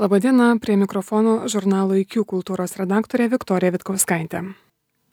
Labadiena, prie mikrofono žurnalo IQ kultūros redaktorė Viktorija Vitkauskaitė.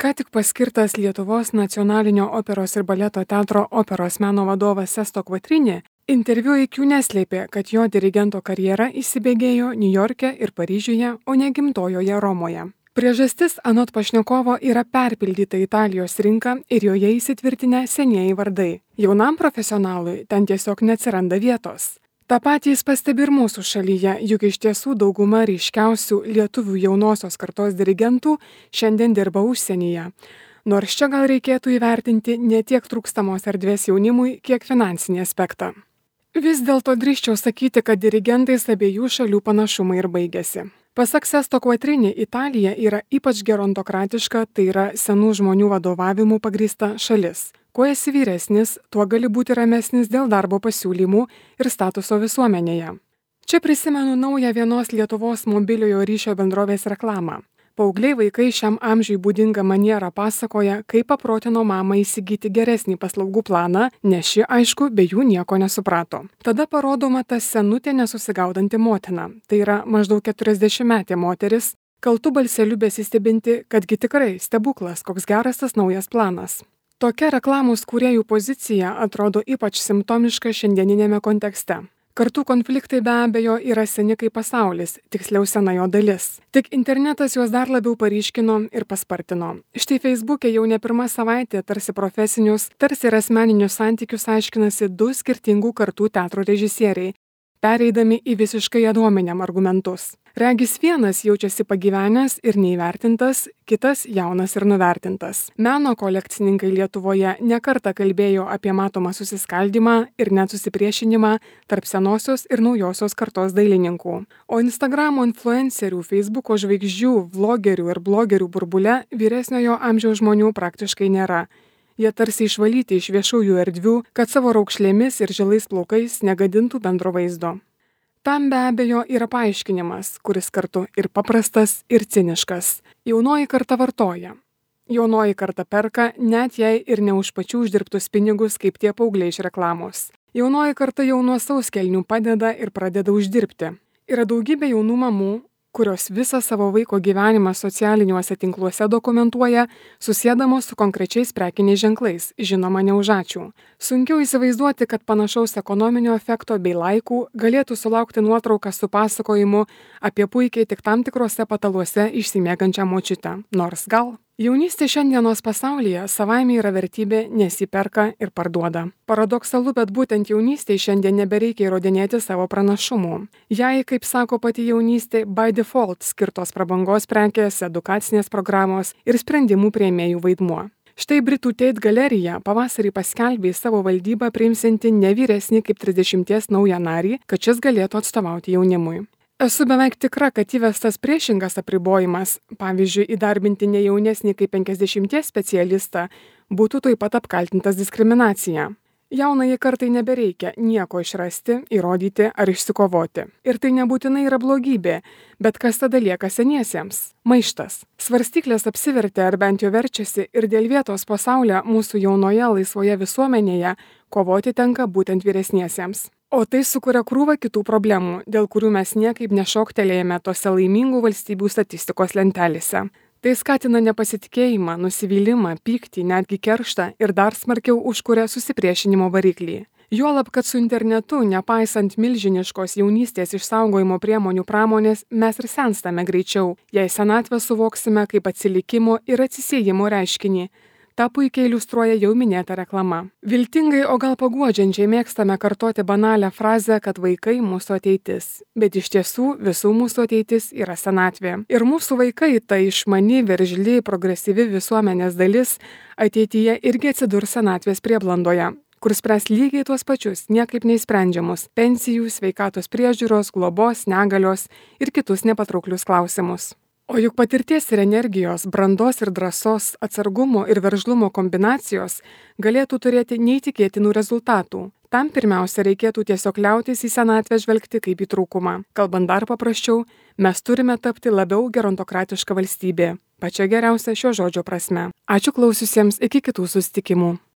Ką tik paskirtas Lietuvos nacionalinio operos ir baleto teatro operos meno vadovas Sesto Quattrini interviu IQ neslėpė, kad jo dirigento karjera įsibėgėjo Niujorke ir Paryžiuje, o ne gimtojoje Romoje. Priežastis anot pašnekovo yra perpildyta Italijos rinka ir joje įsitvirtinę senieji vardai. Jaunam profesionalui ten tiesiog neatsiranda vietos. Ta patį jis pastebi ir mūsų šalyje, juk iš tiesų dauguma ryškiausių lietuvių jaunosios kartos dirigentų šiandien dirba užsienyje. Nors čia gal reikėtų įvertinti ne tiek trūkstamos erdvės jaunimui, kiek finansinį aspektą. Vis dėlto drįsčiau sakyti, kad dirigentais abiejų šalių panašumai ir baigėsi. Pasak Sesto Quattrini, Italija yra ypač gerontokratiška, tai yra senų žmonių vadovavimu pagrįsta šalis. Kuo esi vyresnis, tuo gali būti ramesnis dėl darbo pasiūlymų ir statuso visuomenėje. Čia prisimenu naują vienos Lietuvos mobiliojo ryšio bendrovės reklamą. Paaugliai vaikai šiam amžiui būdinga maniera pasakoja, kaip paprotino mamą įsigyti geresnį paslaugų planą, nes ši, aišku, be jų nieko nesuprato. Tada parodoma ta senutė nesusigaudanti motina, tai yra maždaug 40-metė moteris, kaltu balseliu besistebinti, kadgi tikrai stebuklas, koks geras tas naujas planas. Tokia reklamos kūrėjų pozicija atrodo ypač simptomiška šiandieninėme kontekste. Kartų konfliktai be abejo yra seni kaip pasaulis, tiksliau sena jo dalis. Tik internetas juos dar labiau paryškino ir paspartino. Štai Facebook'e jau ne pirmą savaitę tarsi profesinius, tarsi ir asmeninius santykius aiškinasi du skirtingų kartų teatro režisieriai, pereidami į visiškai adominiam argumentus. Regis vienas jaučiasi pagyvenęs ir neįvertintas, kitas jaunas ir nuvertintas. Meno kolekcininkai Lietuvoje nekartą kalbėjo apie matomą susiskaldymą ir net susipriešinimą tarp senosios ir naujosios kartos dailininkų. O Instagramo influencerių, Facebooko žvaigždžių, vlogerių ir blogerių burbule vyresniojo amžiaus žmonių praktiškai nėra. Jie tarsi išvalyti iš viešųjų erdvių, kad savo raukšlėmis ir žilais plaukais negadintų bendro vaizdo. Tam be abejo yra paaiškinimas, kuris kartu ir paprastas, ir ciniškas. Jaunoji karta vartoja. Jaunoji karta perka, net jei ir ne už pačių uždirbtus pinigus, kaip tie paaugliai iš reklamos. Jaunoji karta jau nuo sauskelnių padeda ir pradeda uždirbti. Yra daugybė jaunų mamų, kurios visą savo vaiko gyvenimą socialiniuose tinkluose dokumentuoja, susiedamos su konkrečiais prekiniais ženklais, žinoma ne už ačiū. Sunkiau įsivaizduoti, kad panašaus ekonominio efekto bei laikų galėtų sulaukti nuotrauką su pasakojimu apie puikiai tik tam tikrose pataluose išsimiegančią močiutę. Nors gal. Jaunystė šiandienos pasaulyje savaime yra vertybė, nes jį perka ir parduoda. Paradoksalu, bet būtent jaunystėje šiandien nebereikia įrodinėti savo pranašumų. Jei, kaip sako pati jaunystė, by default skirtos prabangos prekės, edukacinės programos ir sprendimų priėmėjų vaidmuo. Štai Britų Tate galerija pavasarį paskelbė savo valdybą priimsianti ne vyresnį kaip 30 naują narį, kad šis galėtų atstovauti jaunimui. Esu beveik tikra, kad įvestas priešingas apribojimas, pavyzdžiui, įdarbinti ne jaunesnį kaip 50 specialistą, būtų taip pat apkaltintas diskriminacija. Jaunai kartai nebereikia nieko išrasti, įrodyti ar išsikovoti. Ir tai nebūtinai yra blogybė, bet kas tada lieka seniesiems? Maištas. Svarstyklės apsivertė ar bent jau verčiasi ir dėl vietos pasaulyje mūsų jaunoje laisvoje visuomenėje kovoti tenka būtent vyresniesiems. O tai sukuria krūvą kitų problemų, dėl kurių mes niekaip nešoktelėjame tose laimingų valstybių statistikos lentelėse. Tai skatina nepasitikėjimą, nusivylimą, pyktį, netgi kerštą ir dar smarkiau užkuria susipriešinimo variklį. Juolab, kad su internetu, nepaisant milžiniškos jaunystės išsaugojimo priemonių pramonės, mes ir senstame greičiau, jei senatvę suvoksime kaip atsilikimo ir atsisiejimo reiškinį. Ta puikiai iliustruoja jau minėta reklama. Viltingai, o gal paguodžiančiai mėgstame kartoti banalią frazę, kad vaikai mūsų ateitis. Bet iš tiesų visų mūsų ateitis yra senatvė. Ir mūsų vaikai, ta išmani, veržli, progresyvi visuomenės dalis, ateityje irgi atsidurs senatvės prieblandoje, kur spręs lygiai tuos pačius, niekaip neįsprendžiamus – pensijų, sveikatos priežiūros, globos, negalios ir kitus nepatrauklius klausimus. O juk patirties ir energijos, brandos ir drąsos, atsargumo ir veržlumo kombinacijos galėtų turėti neįtikėtinų rezultatų. Tam pirmiausia reikėtų tiesiog liautis į senatvę žvelgti kaip į trūkumą. Kalbant dar paprasčiau, mes turime tapti labiau gerontokratiška valstybė. Pačia geriausia šio žodžio prasme. Ačiū klausiusiems, iki kitų susitikimų.